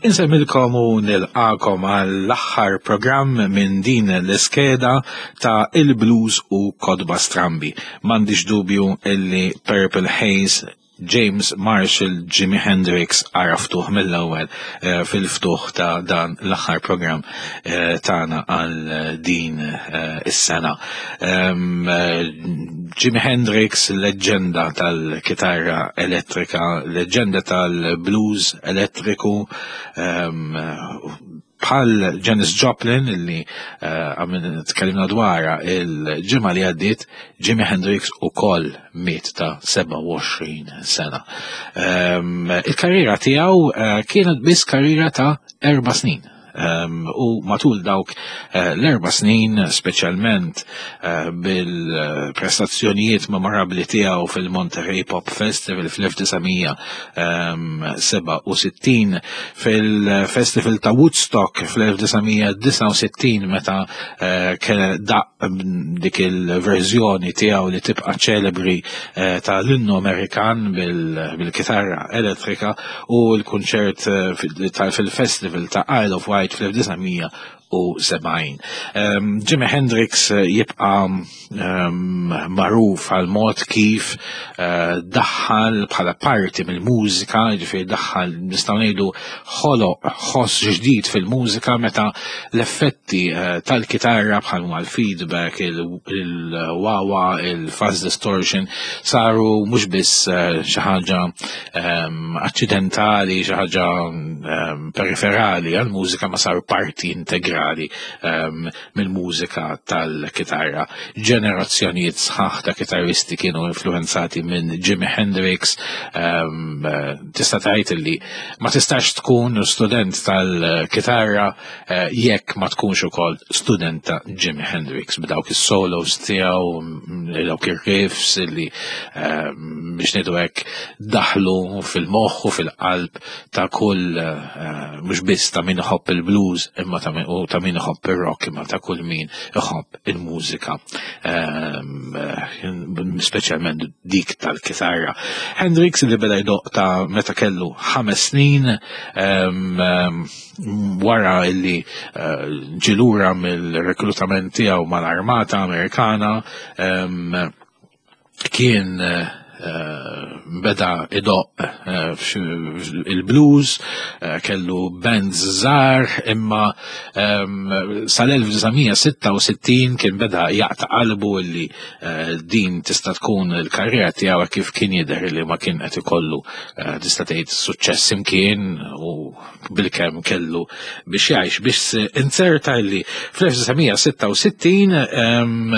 Insemmilkom u nilqakom għall-aħħar programm minn din l-iskeda ta' il-blues u kodba strambi. M'għandix dubju illi Purple Haze James Marshall Jimi Hendrix għaraftuh mill-ewwel eh, fil-ftuħ ta' dan l-aħħar programm eh, tagħna għal din eh, is-sena. Ehm, Jimi Hendrix, leġġenda tal-kitarra elettrika, leġġenda tal-blues elettriku, ehm, bħal Janis Joplin illi eh, għamil tkellimna dwarha il-ġimgħa li għaddiet, Jimi Hendrix ukoll miet ta' 27 sena. Ehm, il-karriera tiegħu eh, kienet biss karriera ta' erba' snin. Ehm, u matul dawk eh, l-erba' snin, speċjalment eh, bil-prestazzjonijiet memorabbli tiegħu fil-Monterey Pop Festival fl-1967, fil-Festival ta' Woodstock fl-1969 meta eh, daq dik il-verżjoni tiegħu li tibqa' ċelebri ta' l-innu Amerikan bil-kitarra elettrika u l-kunċert fil-Festival ta' Isle of Wight fl-1970. Ehm, Jimi Hendrix eh, jibqa' ehm, magħruf għal mod kif eh, daħħal bħala parti mill-mużika, ġifieri daħħal nistgħu ngħidu ħoloq ħoss ġdid fil-mużika meta l-effetti eh, tal-kitarra bħal ma l-feedback, il-wawa, il-fuzz distortion saru mhux biss xi ħaġa ehm, aċċidentali, xi ħaġa ehm, periferali għall-mużika ma saru parti integrali ehm, mill-mużika tal-kitarra. Ġenerazzjonijiet sħaħ ta' kitarristi kienu influenzati minn Jimi Hendrix, tista' tgħid li ma tistax tkun student tal-kitarra eh, jekk ma tkunx ukoll student ta' Jimi Hendrix b'dawk is-solos tiegħu, mm, dawk ir-riffs li eh, biex ngħidu hekk daħlu fil-moħħ u fil-qalb ta' kull eh, mhux biss ta' min iħobb il-blues imma ta' min iħobb ir-rock imma ta' kull min iħobb il-mużika, ehm, speċjalment dik tal-kitarra. Hendrix li beda jdoq ta' meta kellu ħames snin ehm, ehm, wara illi eh, ġilura mill-reklutament tiegħu mal-armata Amerikana kien eh, beda idoq eh, il-blues, eh, kellu bands żgħar, imma ehm, sal-1966 kien beda jaqta' qalbu li din tista' tkun il-karriera tiegħu kif kien jidher li ma kien qed ikollu tista' tgħid suċċess imkien u bilkemm kellu biex jgħix biex inzerta li fl-1966 ehm,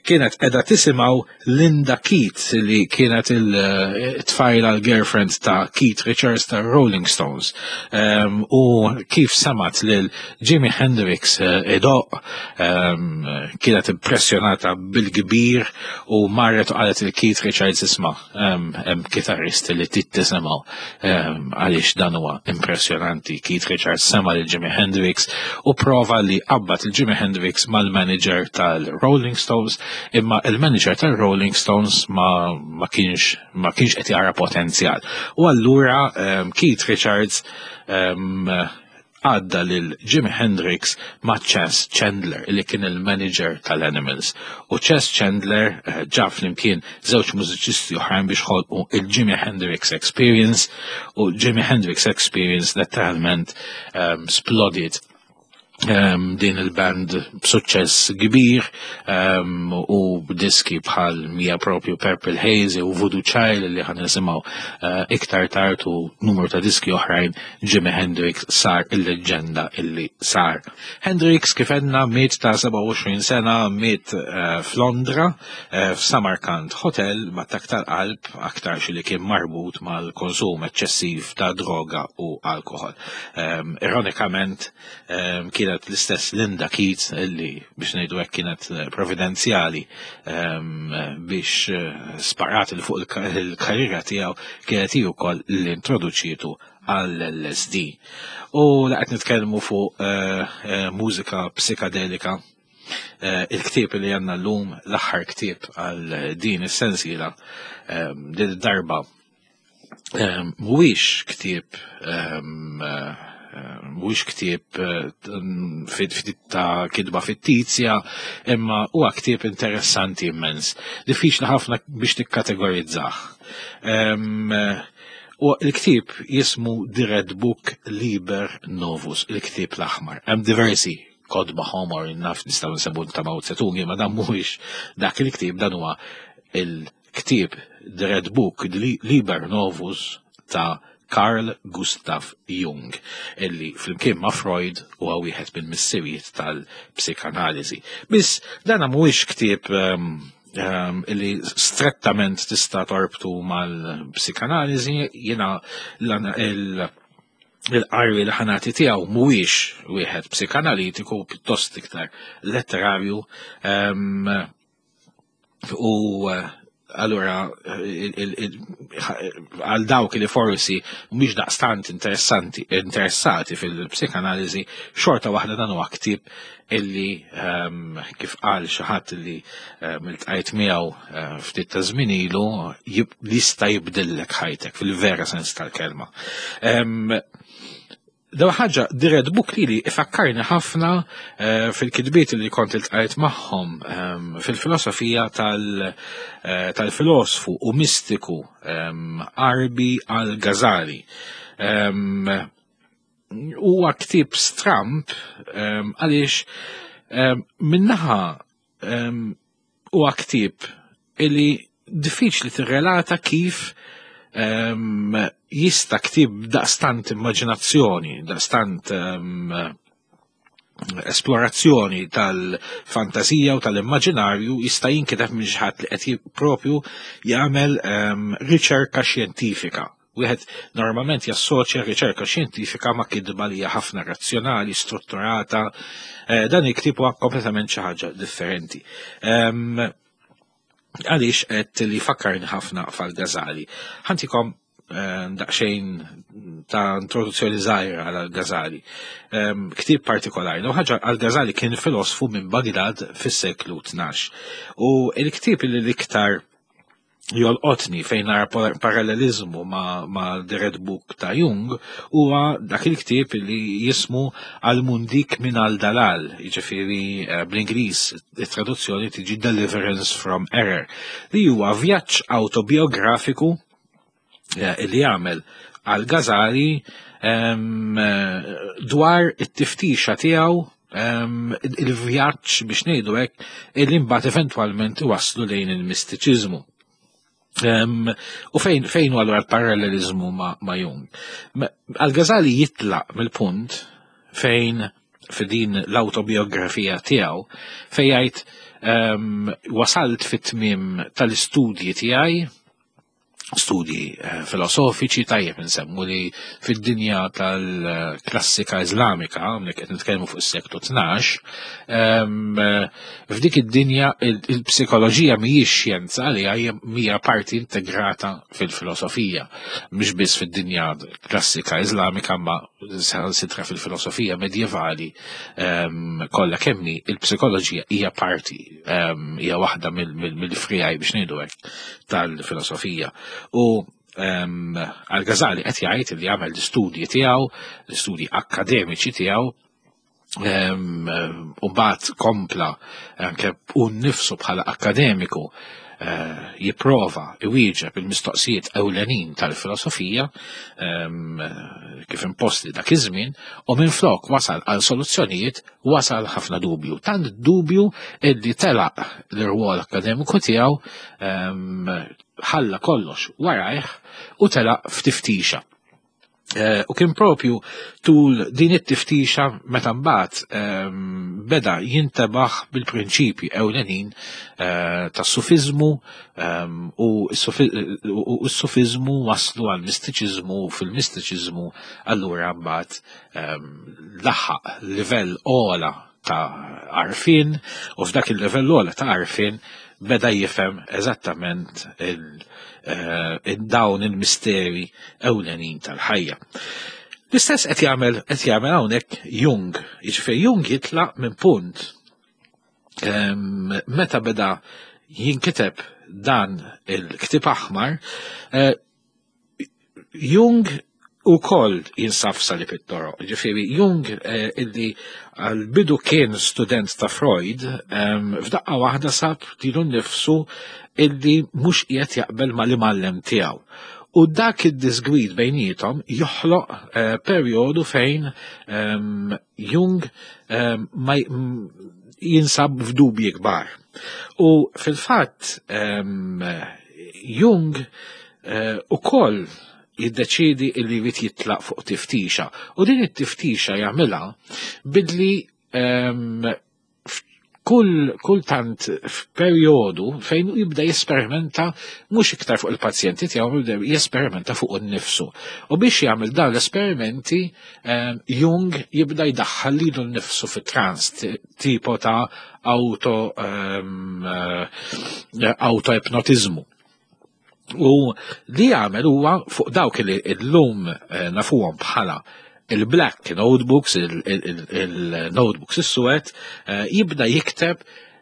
kienet edha tisimgħu Linda Keith li kienet il-tfajla l-girlfriend ta' Keith Richards ta' Rolling Stones. Ehm, u kif samat lil Jimi Hendrix eh, idoq ehm, kienet impressjonata bil-kbir u marret u qalet il Keith Richards isma' hemm kitarrist li tit tisimgħu għaliex dan huwa impressjonanti. Keith Richards sema lil Jimi Hendrix u prova li qabad il Jimi Hendrix mal-manager tal-Rolling Stones, imma il-manager tal-Rolling Stones ma, ma kienx ma kienx qed jara potenzjal. U allura Keith Richards għadda lil Jimi Hendrix ma' Chas Chandler li kien il-manager tal-Animals. U Chas Chandler eh, ġab flimkien żewġ mużiċisti oħrajn biex ħolqu il-Jimi Hendrix Experience u Jimi Hendrix Experience letteralment um, splodiet um, din il-band b'suċċess kbir um, u b'diski bħal mija propju Purple Haze u Voodoo Child li ħan nisimgħu uh, iktar tard u numru ta' diski oħrajn Jimi Hendrix sar il-leġġenda illi sar. Hendrix kif għedna miet ta' 27 sena miet eh, f'Londra eh, f'Samarkand Hotel b'attakk tal-qalb aktarx li kien marbut mal-konsum eċċessiv ta' droga u alkohol. Ehm, ironikament ehm, kienet l-istess Linda Keats illi biex ngħidu hekk kienet eh, providenzjali ehm, biex sparat il fuq il-karriera tiegħu kienet hi wkoll li introduċietu għall-LSD. U la qed nitkellmu fuq eh, eh, mużika psikadelika, eh, il-ktieb li għandna llum, l-aħħar ktieb għal din is-sensiela, din darba mhuwiex ktieb mhuwiex ktieb eh, ta' kitba fittizja, imma huwa ktieb interessanti immens. Diffiċli ħafna biex tikkategorizzah. U l-ktieb jismu The Red Book Liber Novus, il-ktieb l-aħmar. Hemm diversi kodba ħomor naf nistgħu nsemmu ta' Mao Zedong, imma dan mhuwiex dak il-ktieb, dan huwa il-ktieb The Red Book Liber Novus ta' Carl Gustav Jung, illi flimkien ma' Freud huwa wieħed minn missirijiet tal-psikanaliżi. Biss dan mhuwiex ktieb illi strettament tista' torbtu mal-psikanaliżi, jiena il-qari li ħanati tiegħu mhuwiex wieħed psikanalitiku, pjuttost iktar letterarju. U allura għal dawk li forsi mhumiex daqstant interessanti interessati fil-psikanaliżi, xorta waħda dan huwa ktieb illi kif qal xi ħadd illi iltqajt miegħu ftit ta' żmien ilu jista' jibdillek ħajtek fil-vera sens tal-kelma. Daw ħaġa, The Red Book li li ifakkarni ħafna fil-kitbiet li kont iltqajt magħhom fil-filosofija tal-filosfu u mistiku Għarbi Al-Ghazali. Huwa ktieb stramb għaliex minnaħa huwa ktieb illi diffiċli tirrelata kif jista' ktieb daqstant immaġinazzjoni, daqstant esplorazzjoni tal-fantasija u tal-immaġinarju jista' jinkiteb minn xi ħadd li qed propju jagħmel riċerka xjentifika. Wieħed normalment jassoċja riċerka xjentifika ma' kitba li hija ħafna razzjonali, strutturata. Dan il-ktieb huwa kompletament xi ħaġa differenti. Għaliex qed li fakkarni ħafna fal-Ghazali. Ħantikom daqsxejn ta' introduzzjoni żgħira għal Ghazali. Ktieb partikolari. L ħaġa Al-Ghazali kien filosfu minn Baghdad fis-seklu 12. U l-ktieb li l-iktar jolqotni fejn nara parallelizmu ma' The Red Book ta' Jung huwa dak il-ktieb li jismu Al-Mundik min al-Dalal, jiġifieri bl-Ingliż it-traduzzjoni tiġi Deliverance from Error, li huwa vjaġġ autobiografiku li jagħmel Al-Ghazali dwar it-tiftixa tiegħu, il-vjaġġ biex ngħidu hekk illi mbagħad eventwalment iwasslu lejn il-mistiċiżmu. U fejn hu allura l-parallelizmu ma' Jung? Al-Ghazali jitlaq mill-punt fejn f'din l-autobiografija tiegħu fejn jgħid wasalt fit-tmiem tal-istudji tiegħi, studji filosofiċi, tajjeb nsemmu li fid-dinja tal-klassika Iżlamika, hawnhekk qed nitkellmu fuq is-seklu 12, f'dik id-dinja il-psikoloġija mhijiex xjenza li hija parti integrata fil-filosofija, mhux biss fid-dinja klassika Iżlamika ma sitra fil-filosofija medjevali kollha kemmi il-psikoloġija hija parti, hija waħda mill-frijaj biex ngħidu hekk tal-filosofija. U Al-Ghazali qed jgħid li jagħmel l-istudji tiegħu, l-istudji akkademiċi tiegħu, u mbagħad kompla anke hu nnifsu bħala akkademiku jipprova iwieġeb il-mistoqsijiet ewlenin tal-filosofija kif imposti dak iż-żmien, u minflok wasal għal soluzzjonijiet wasal ħafna dubju. Tant dubju illi telaq l-irwol akkademiku tiegħu, ħalla kollox warajh u telaq f'tiftixa. U kien propju tul din it-tiftixa meta mbagħad beda jintebaħ bil-prinċipji ewlenin tas-sufiżmu, u s-sufiżmu waslu għal mistiċiżmu, u fil-mistiċiżmu allura mbagħad laħaq livell ogħla ta' għarfien, u f'dak il-livell ogħla ta' għarfien beda jifhem eżattament dawn il-misteri ewlenin tal-ħajja. L-istess qed jagħmel hawnhekk Jung, jiġifieri Jung jitlaq minn punt meta beda jinkiteb dan il-ktieb aħmar, Jung Ukoll jinsab f'salib it-toroq. Ġifieri Jung eh, illi għal-bidu kien student ta' Freud, f'daqqa waħda sab lilu nnifsu illi mhux qiegħed jaqbel mal-imgħallem tiegħu. U dak id-disgwid bejnietom joħloq eh, perjodu fejn Jung ma jinsab f'dubji kbar. U fil-fatt Jung eh, ukoll jiddeċiedi illi jrid jitlaq fuq tiftixa. U din it-tiftixa jagħmilha bidli kull kultant f'perjodu fejn jibda jesperimenta mhux iktar fuq il-pazjenti tiegħu jibda jesperimenta fuq innifsu. U biex jagħmel dawn l-esperimenti Jung jibda jdaħħal lilu nnifsu fi trans tipo ta' auto eh, auto-ipnotizmu. U li jagħmel huwa fuq dawk li llum eh, nafuhom bħala il-black notebooks, il-notebooks is-suwed, eh, jibda jikteb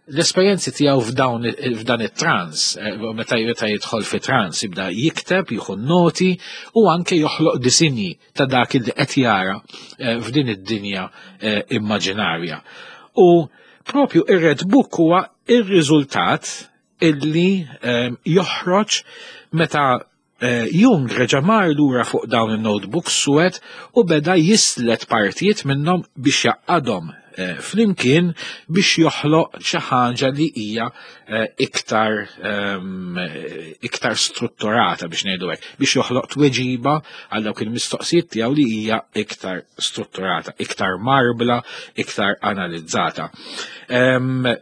l-esperjenzi tiegħu f'dawn f'dan it-trans, eh, meta meta jidħol fi trans, jibda jikteb, jieħu noti u anke joħloq disinji ta' dak li qed jara f'din id-dinja immaġinarja. U propju ir-Red Book huwa ir-riżultat illi ehm, joħroġ meta eh, Jung reġa' mar lura fuq dawn in-notebooks suwed u beda jislet partijiet minnhom biex jaqqadhom eh, flimkien biex joħloq xi ħaġa li hija eh, iktar ehm, iktar strutturata biex ngħidu hekk, biex joħloq tweġiba għal dawk il-mistoqsijiet tiegħu li hija iktar strutturata, iktar marbla, iktar analizzata. Ehm,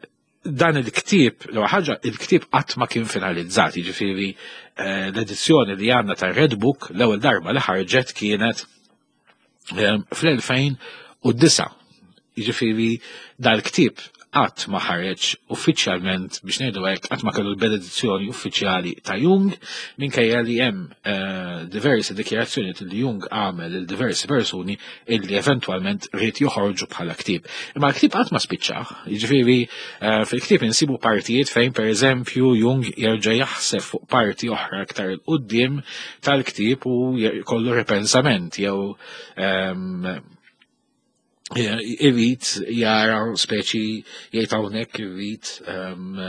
dan il-ktieb, l ħaġa, il-ktieb qatt ma kien finalizzat, jiġifieri eh, l-edizzjoni li għandna ta' Red Book l-ewwel darba li ħarġet kienet eh, fl-2009. Jiġifieri dal-ktieb qatt ma ħareġ uffiċjalment biex ngħidu hekk qatt ma kellu l-benedizzjoni uffiċjali ta' Jung minkejja li hemm eh, diversi dikjarazzjoni li Jung għamel il diversi persuni illi eventwalment ried joħorġu bħala ktieb. Imma l-ktieb qatt ma spiċċa, jiġifieri eh, fil-ktieb insibu partijiet fejn pereżempju Jung jerġa' jaħseb fuq parti oħra aktar il quddiem tal-ktieb u jkollu ripensament jew ehm, irrid jara speċi jgħid hawnhekk irrid ehm,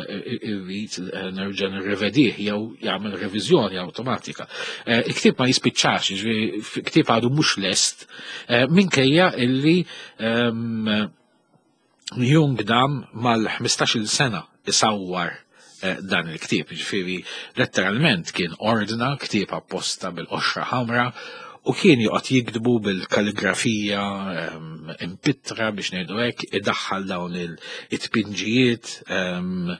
irrid eh, nerġa' nirrevedih jew jagħmel reviżjoni awtomatika. Eh, il-ktieb ma jispiċċax, jiġifieri ktieb għadu mhux lest eh, minkejja illi ehm, Jung dam mal-15-il sena isawwar dan il-ktieb, ġifieri letteralment kien ordna ktieb apposta bil-qoxra ħamra u kien joqgħod jiktbu bil-kalligrafija ehm, impittra biex ngħidu hekk, idaħħal dawn it-tpinġijiet ehm,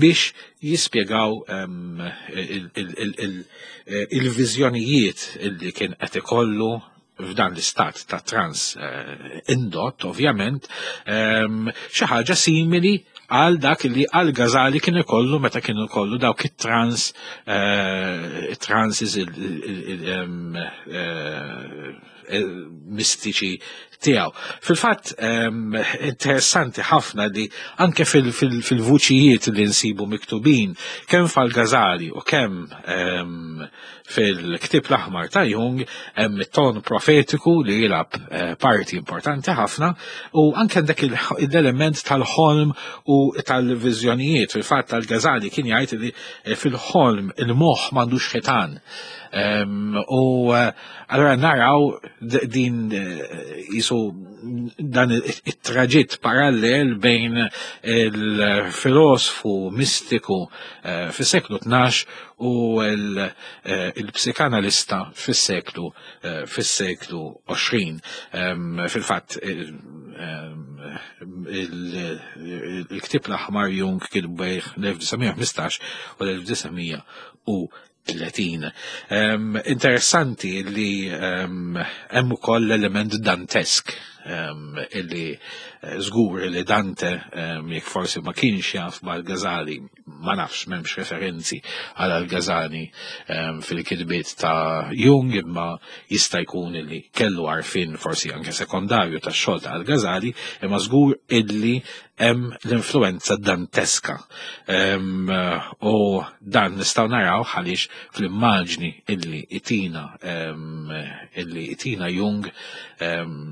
biex jispjegaw ehm, il-viżjonijiet li kien qed ikollu f'dan l-istat ta' trans eh, indott, ovvjament, ehm, xi ħaġa simili għal dak li għal Gazali kien ikollu meta kien ikollu dawk it-trans eh, transes ehm, eh, mistiċi tiegħu. Fil-fatt ehm, interessanti ħafna li anke fil-vuċijiet li nsibu miktubin kemm fal-Gazali u kemm Fil-ktieb l-aħmar ta' Jung hemm it-ton profetiku li jilgħab eh, parti importanti ħafna u anke dak l-element tal-ħolm u tal-viżjonijiet. Fil-fatt tal-Gazali kien jgħid li eh, fil-ħolm il-moħħ m'għandux ħitan. Ehm, u eh, allora naraw din jisu dan it-traġitt parallel bejn il-filosfu mistiku fis-seklu 12 u l-psikanalista fis-seklu fis-seklu 20. Fil-fatt il-ktieb l-aħmar Jung kitbu bejn l-1915 u l-1930. Interessanti li hemm ukoll l-element dantesk. Illi żgur li Dante, jekk forsi ma kienx jaf mal-Ghazali, ma nafx, m'hemmx referenzi għal Al-Ghazali fil-kitbiet ta' Jung, imma jista' jkun illi kellu għarfien forsi anke sekondarju tax-xogħol ta' Al-Ghazali, imma żgur illi hemm l-influenza danteska. U dan nistgħu naraw għaliex fl-immaġni illi itina Jung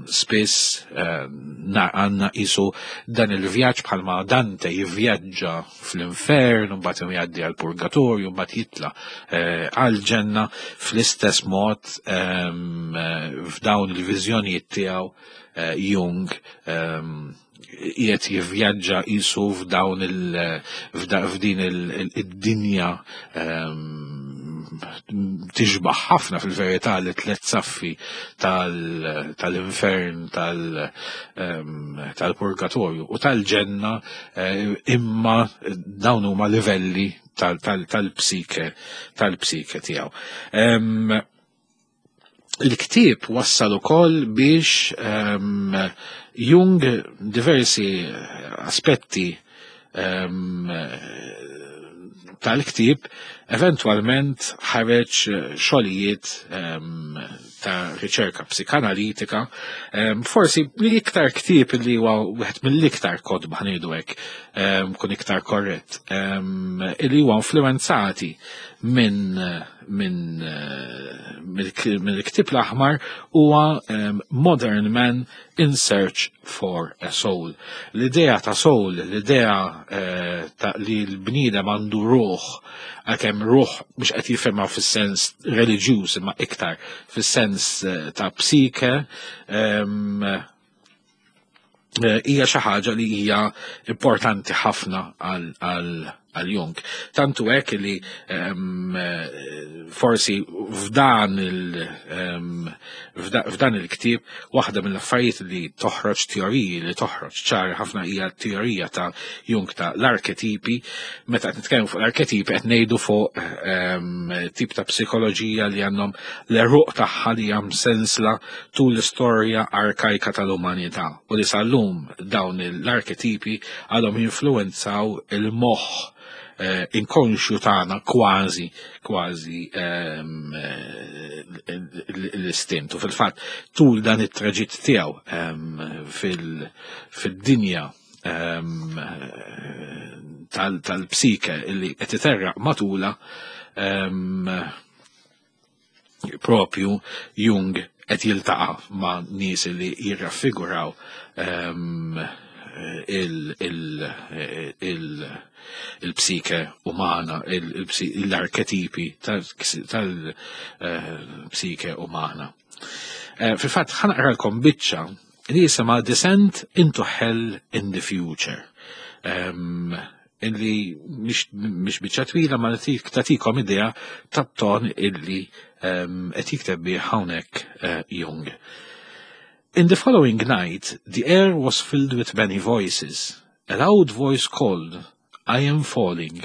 spiss għandna qisu dan il-vjaġġ bħalma Dante jivvjaġġa fl-infern, mbagħad jgħaddi għal purgatorju, mbagħad jitla għal-ġenna. Fl-istess mod, f'dawn il-viżjonijiet tiegħu, Jung qiegħed jivvjaġġa qisu f'dawn il f'din id-dinja tixbaħ ħafna fil-verità li tlet saffi tal-infern, tal-purgatorju u tal-ġenna, imma dawn huma livelli tal-psike tiegħu. Il-ktieb wassal ukoll biex Jung diversi aspetti tal-ktieb eventwalment ħareġ xogħlijiet ta' riċerka psikanalitika. Forsi li iktar ktieb li huwa wieħed mill-iktar kotba, ħa ngħidu hekk, kun iktar korrett, li huwa influenzati minn mill-ktieb l-aħmar huwa Modern Man in Search for a Soul. L-idea ta' soul, l-idea ta' li l-bniedem għandu ruħ, għalkemm ruħ mhux qed jifhimha fis-sens reliġjuż imma iktar fis-sens ta' psike, hija xi ħaġa li hija importanti ħafna għal Jung. Tantu hekk li forsi f'dan il-ktieb waħda mill-affarijiet li toħroġ, teoriji li toħroġ ċar ħafna, hija teorija ta' Jung ta' l-arketipi. Meta qed nitkellmu fuq l-arketipi, qed ngħidu fuq tip ta' psikoloġija li għandhom l-għeruq tagħha li hemm sensla tul l-istorja arkajka tal-umanità u li sal-lum dawn l-arketipi għadhom jinfluenzaw il-moħħ inkonxju tagħna kważi l-istint. U fil-fatt tul dan it-traġitt tiegħu fil-dinja tal-psike illi qed iterraq matula, propju Jung qed jiltaqa' ma' nies li jirraffiguraw il-psike umana, l-arketipi tal-psike umana. Fil-fatt ħa naqralkom biċċa li jisimha Descent into Hell in the Future. Illi mhix biċċa twila ma tagħtikom idea tat-ton illi qed jikteb bih hawnhekk Jung. In the following night, the air was filled with many voices. A loud voice called, "I am falling."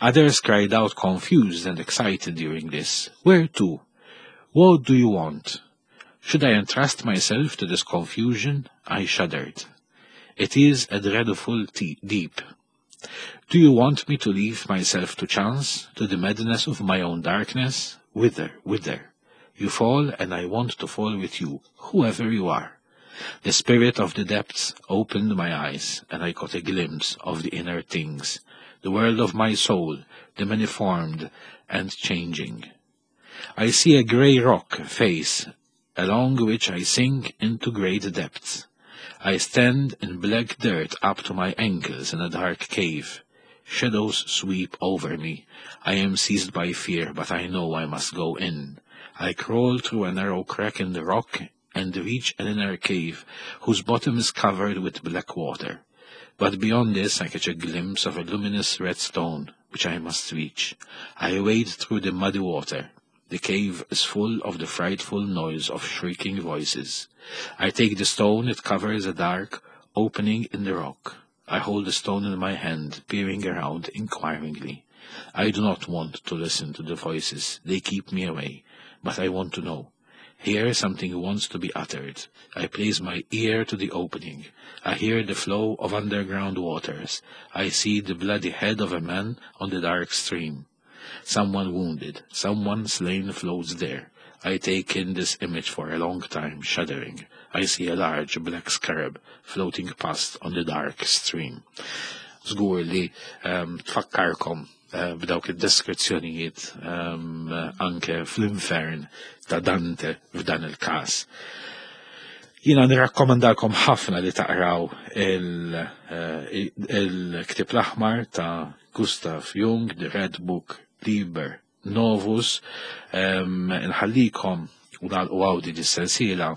Others cried out, confused and excited during this, "Where to? What do you want?" Should I entrust myself to this confusion? I shuddered. It is a dreadful deep. Do you want me to leave myself to chance, to the madness of my own darkness? Whither, whither? You fall, and I want to fall with you, whoever you are. The spirit of the depths opened my eyes, and I caught a glimpse of the inner things, the world of my soul, the many-formed and changing. I see a grey rock face, along which I sink into great depths. I stand in black dirt up to my ankles in a dark cave. Shadows sweep over me. I am seized by fear, but I know I must go in. I crawl through a narrow crack in the rock and reach an inner cave whose bottom is covered with black water. But beyond this I catch a glimpse of a luminous red stone, which I must reach. I wade through the muddy water. The cave is full of the frightful noise of shrieking voices. I take the stone. It covers a dark opening in the rock. I hold the stone in my hand, peering around inquiringly. I do not want to listen to the voices. They keep me away. But I want to know. Here something wants to be uttered. I place my ear to the opening. I hear the flow of underground waters. I see the bloody head of a man on the dark stream. Someone wounded, someone slain floats there. I take in this image for a long time, shuddering. I see a large black scarab floating past on the dark stream. Żgur li um, tfakkarkom eh, b'dawk id-deskrizzjonijiet um, anke fl-infern ta' Dante f'dan il-każ. Jina nirrakkomandakom ħafna li taqraw eh, il-ktib l-aħmar ta' Gustav Jung, The Red Book Liber Novus, nħallikom u nagħlqu għawdi dis-sensiela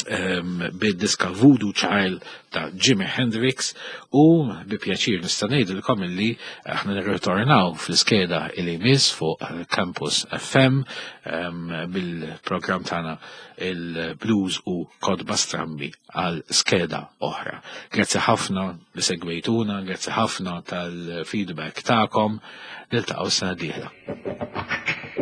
bid-diska Voodoo Child ta' Jimi Hendrix u bi pjaċir nista' ngħidilkom illi aħna nirritornaw fl-iskeda li jmiss fuq Campus FM bil-programm tagħna il-Blues u Kodba Strambi għal skeda oħra. Grazzi ħafna li segwejtuna, grazzi ħafna tal-feedback tagħkom, niltaqgħu sena dieħla.